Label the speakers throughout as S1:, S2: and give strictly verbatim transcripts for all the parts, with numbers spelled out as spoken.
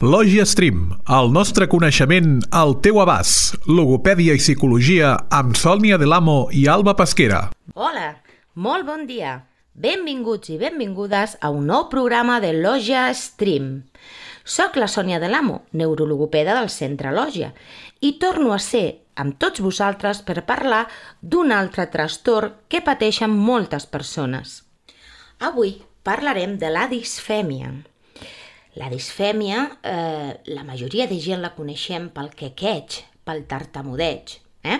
S1: Lògia Stream, el nostre coneixement al teu abast. Logopèdia i psicologia amb Sònia Delamo i Alba Pesquera.
S2: Hola, molt bon dia. Benvinguts i benvingudes a un nou programa de Lògia Stream. Soc la Sònia Delamo, neurologopeda del Centre Lògia, i torno a ser amb tots vosaltres per parlar d'un altre trastorn que pateixen moltes persones. Avui parlarem de la disfèmia. La disfèmia, eh, la majoria de gent la coneixem pel quequeig, pel tartamudeig. Eh?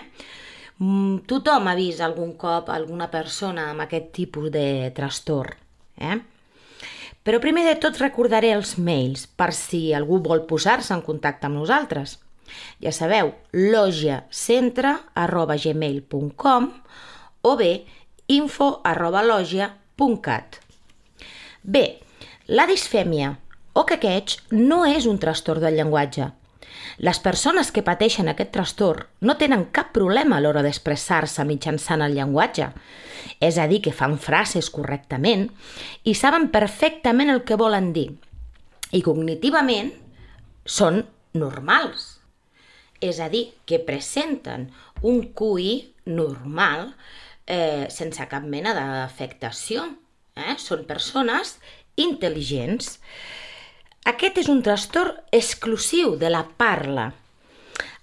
S2: Mm, tothom ha vist algun cop alguna persona amb aquest tipus de trastorn. Eh? Però primer de tot recordaré els mails per si algú vol posar-se en contacte amb nosaltres. Ja sabeu, logiacentre arroba gmail punt com o bé info arroba logia punt cat. Bé, la disfèmia o quequeig no és un trastorn del llenguatge. Les persones que pateixen aquest trastorn no tenen cap problema a l'hora d'expressar-se mitjançant el llenguatge. És a dir, que fan frases correctament i saben perfectament el que volen dir. I cognitivament són normals. És a dir, que presenten un Q I normal eh, sense cap mena d'afectació. Eh? Són persones intel·ligents. Aquest és un trastorn exclusiu de la parla.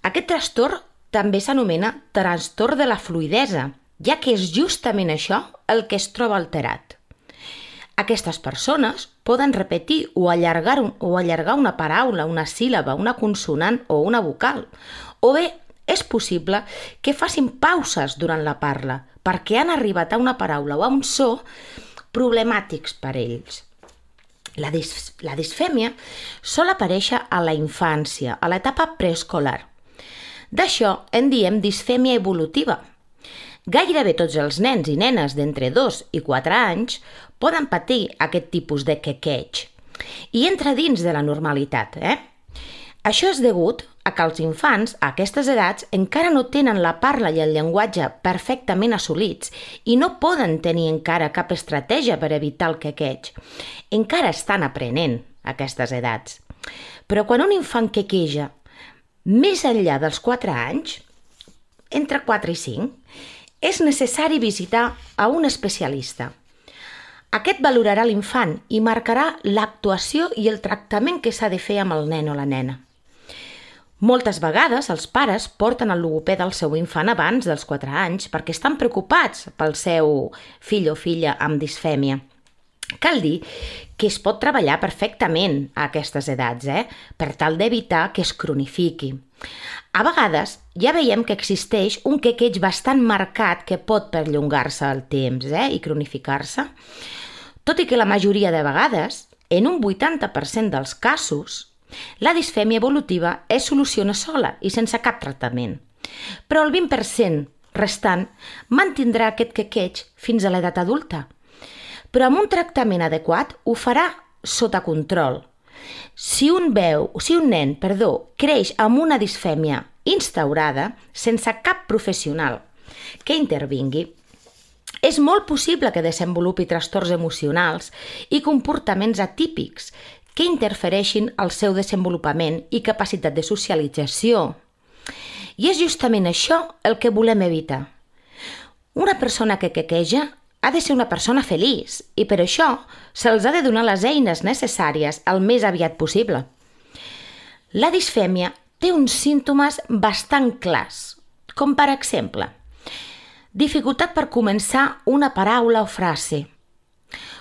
S2: Aquest trastorn també s'anomena trastorn de la fluïdesa, ja que és justament això el que es troba alterat. Aquestes persones poden repetir o allargar, o allargar una paraula, una síl·laba, una consonant o una vocal, o bé és possible que facin pauses durant la parla perquè han arribat a una paraula o a un so problemàtics per ells. La, dis la disfèmia sol aparèixer a la infància, a l'etapa preescolar. D'això en diem disfèmia evolutiva. Gairebé tots els nens i nenes d'entre dos i quatre anys poden patir aquest tipus de quequeig i entra dins de la normalitat. Eh? Això és degut a que els infants a aquestes edats encara no tenen la parla i el llenguatge perfectament assolits i no poden tenir encara cap estratègia per evitar el quequeig. Encara estan aprenent a aquestes edats. Però quan un infant quequeja més enllà dels quatre anys, entre quatre i cinc, és necessari visitar a un especialista. Aquest valorarà l'infant i marcarà l'actuació i el tractament que s'ha de fer amb el nen o la nena. Moltes vegades els pares porten el logopeda al seu infant abans dels quatre anys perquè estan preocupats pel seu fill o filla amb disfèmia. Cal dir que es pot treballar perfectament a aquestes edats, eh? per tal d'evitar que es cronifiqui. A vegades ja veiem que existeix un quequeig bastant marcat que pot perllongar-se al temps eh? i cronificar-se, tot i que la majoria de vegades, en un vuitanta per cent dels casos, la disfèmia evolutiva es soluciona sola i sense cap tractament. Però el vint per cent restant mantindrà aquest quequeig fins a l'edat adulta. Però amb un tractament adequat ho farà sota control. Si un, veu, si un nen perdó, creix amb una disfèmia instaurada sense cap professional que intervingui, és molt possible que desenvolupi trastorns emocionals i comportaments atípics que interfereixin al seu desenvolupament i capacitat de socialització. I és justament això el que volem evitar. Una persona que quequeja ha de ser una persona feliç i per això se'ls ha de donar les eines necessàries el més aviat possible. La disfèmia té uns símptomes bastant clars, com per exemple, dificultat per començar una paraula o frase,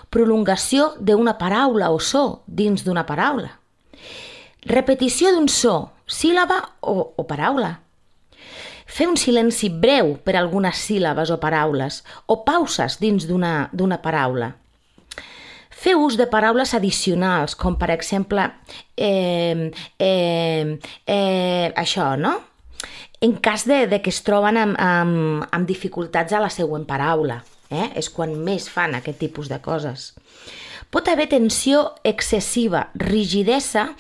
S2: prolongació d'una paraula o so dins d'una paraula, repetició d'un so, síl·laba o, o paraula, fer un silenci breu per a algunes síl·labes o paraules o pauses dins d'una d'una paraula, fer ús de paraules addicionals, com per exemple eh, eh, eh, això, no? En cas de, de que es troben amb, amb, amb dificultats a la següent paraula. Eh? És quan més fan aquest tipus de coses. Pot haver tensió excessiva, rigidesa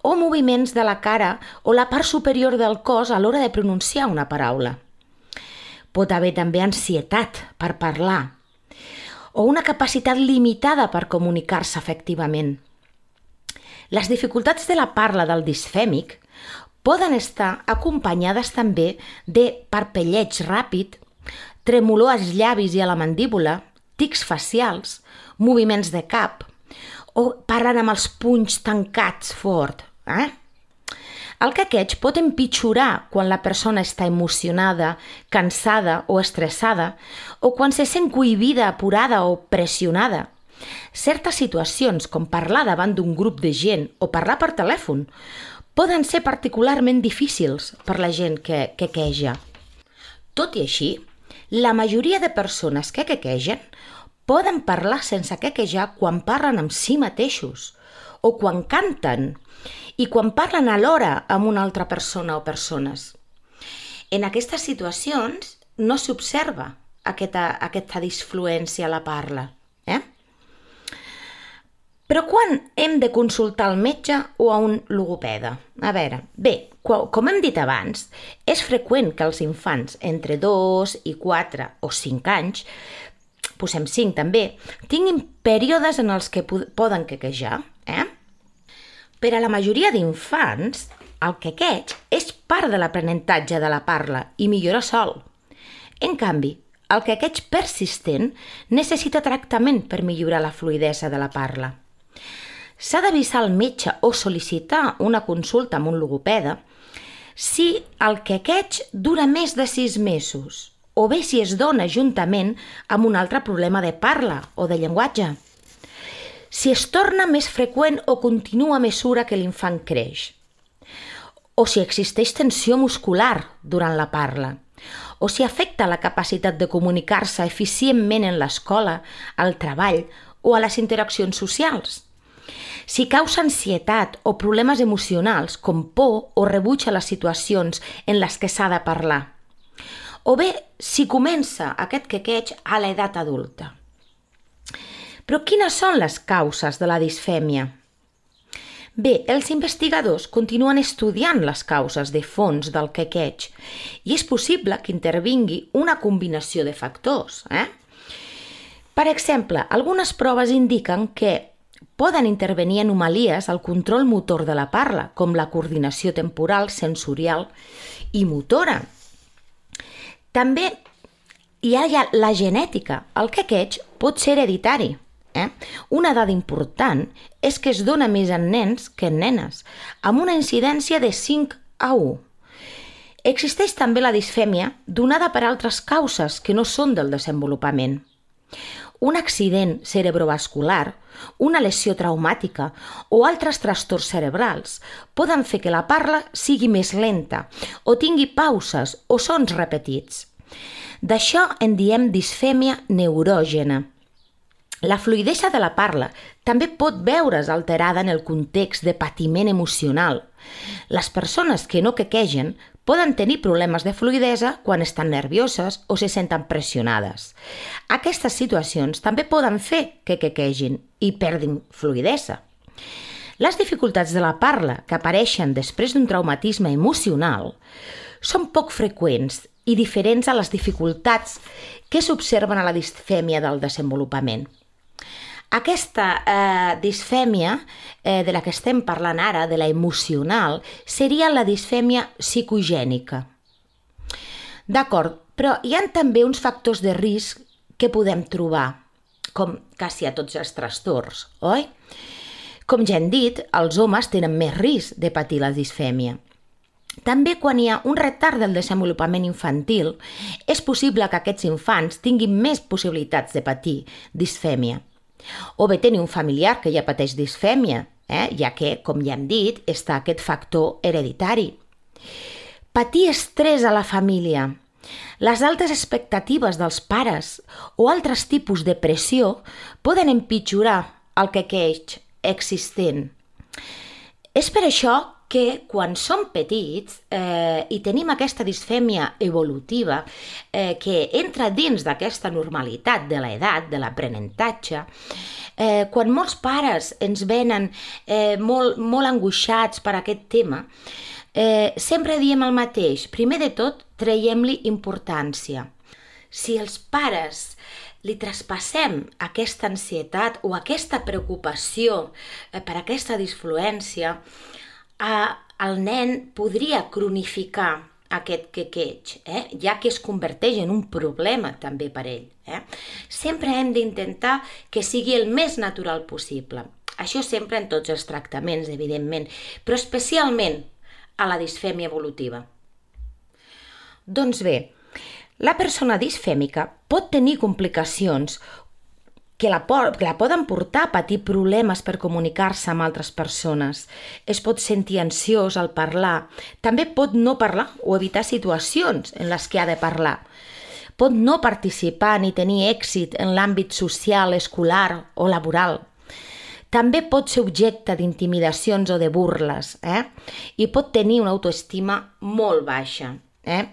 S2: o moviments de la cara o la part superior del cos a l'hora de pronunciar una paraula. Pot haver també ansietat per parlar o una capacitat limitada per comunicar-se efectivament. Les dificultats de la parla del disfèmic poden estar acompanyades també de parpelleig ràpid, tremolor als llavis i a la mandíbula, tics facials, moviments de cap, o parlen amb els punys tancats fort. Eh? El quequeig pot empitjorar quan la persona està emocionada, cansada o estressada, o quan se sent cohibida, apurada o pressionada. Certes situacions, com parlar davant d'un grup de gent o parlar per telèfon, poden ser particularment difícils per la gent que quequeja. Tot i així, la majoria de persones que quequegen poden parlar sense quequejar quan parlen amb si mateixos o quan canten i quan parlen alhora amb una altra persona o persones. En aquestes situacions no s'observa aquesta, aquesta disfluència a la parla. Eh? Però quan hem de consultar el metge o a un logopeda? A veure, bé, com hem dit abans, és freqüent que els infants entre dos i quatre o cinc anys, posem cinc també, tinguin períodes en els que poden quequejar. Eh? Per a la majoria d'infants, el quequeig és part de l'aprenentatge de la parla i millora sol. En canvi, el quequeig persistent necessita tractament per millorar la fluïdesa de la parla. S'ha d'avisar al metge o sol·licitar una consulta amb un logopeda si el quequeig dura més de sis mesos o bé si es dona juntament amb un altre problema de parla o de llenguatge. Si es torna més freqüent o continua a mesura que l'infant creix. O si existeix tensió muscular durant la parla. O si afecta la capacitat de comunicar-se eficientment en l'escola, al treball o a les interaccions socials. Si causa ansietat o problemes emocionals com por o rebuig a les situacions en les que s'ha de parlar. O bé, si comença aquest quequeig a l'edat adulta. Però quines són les causes de la disfèmia? Bé, els investigadors continuen estudiant les causes de fons del quequeig i és possible que intervingui una combinació de factors. Eh? Per exemple, algunes proves indiquen que poden intervenir anomalies al control motor de la parla, com la coordinació temporal, sensorial i motora. També hi ha la genètica. El quequeig pot ser hereditari. Eh? Una dada important és que es dona més en nens que en nenes, amb una incidència de cinc a u. Existeix també la disfèmia donada per altres causes que no són del desenvolupament. Un accident cerebrovascular, una lesió traumàtica o altres trastorns cerebrals poden fer que la parla sigui més lenta o tingui pauses o sons repetits. D'això en diem disfèmia neurògena. La fluïdesa de la parla també pot veure's alterada en el context de patiment emocional. Les persones que no quequegen poden tenir problemes de fluïdesa quan estan nervioses o se senten pressionades. Aquestes situacions també poden fer que quequegin i perdin fluïdesa. Les dificultats de la parla que apareixen després d'un traumatisme emocional són poc freqüents i diferents a les dificultats que s'observen a la disfèmia del desenvolupament. Aquesta eh, disfèmia eh, de la que estem parlant ara, de la emocional, seria la disfèmia psicogènica. D'acord, però hi ha també uns factors de risc que podem trobar, com quasi a tots els trastorns, oi? Com ja hem dit, els homes tenen més risc de patir la disfèmia. També quan hi ha un retard del desenvolupament infantil, és possible que aquests infants tinguin més possibilitats de patir disfèmia. O bé tenir un familiar que ja pateix disfèmia, eh? ja que, com ja hem dit, està aquest factor hereditari. Patir estrès a la família, les altes expectatives dels pares o altres tipus de pressió poden empitjorar el quequeig existent. És per això que quan som petits eh, i tenim aquesta disfèmia evolutiva eh, que entra dins d'aquesta normalitat de l'edat, de l'aprenentatge, eh, quan molts pares ens venen eh, molt, molt angoixats per aquest tema, eh, sempre diem el mateix. Primer de tot, traiem-li importància. Si els pares li traspassem aquesta ansietat o aquesta preocupació per aquesta disfluència, el nen podria cronificar aquest quequeig, eh? ja que es converteix en un problema també per ell. Eh? Sempre hem d'intentar que sigui el més natural possible. Això sempre en tots els tractaments, evidentment, però especialment a la disfèmia evolutiva. Doncs bé, la persona disfèmica pot tenir complicacions que la, que la poden portar a patir problemes per comunicar-se amb altres persones. Es pot sentir ansiós al parlar. També pot no parlar o evitar situacions en les que ha de parlar. Pot no participar ni tenir èxit en l'àmbit social, escolar o laboral. També pot ser objecte d'intimidacions o de burles, eh? I pot tenir una autoestima molt baixa. Eh?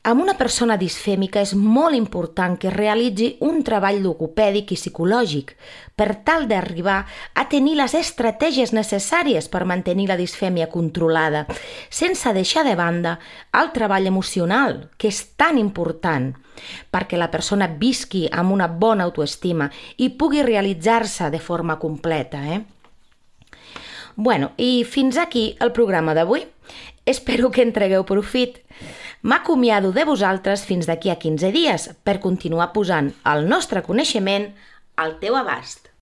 S2: Amb una persona disfèmica és molt important que realitzi un treball logopèdic i psicològic per tal d'arribar a tenir les estratègies necessàries per mantenir la disfèmia controlada, sense deixar de banda el treball emocional, que és tan important, perquè la persona visqui amb una bona autoestima i pugui realitzar-se de forma completa. Eh? Bueno, i fins aquí el programa d'avui. Espero que en tregueu profit. M'acomiado de vosaltres fins d'aquí a quinze dies per continuar posant el nostre coneixement al teu abast.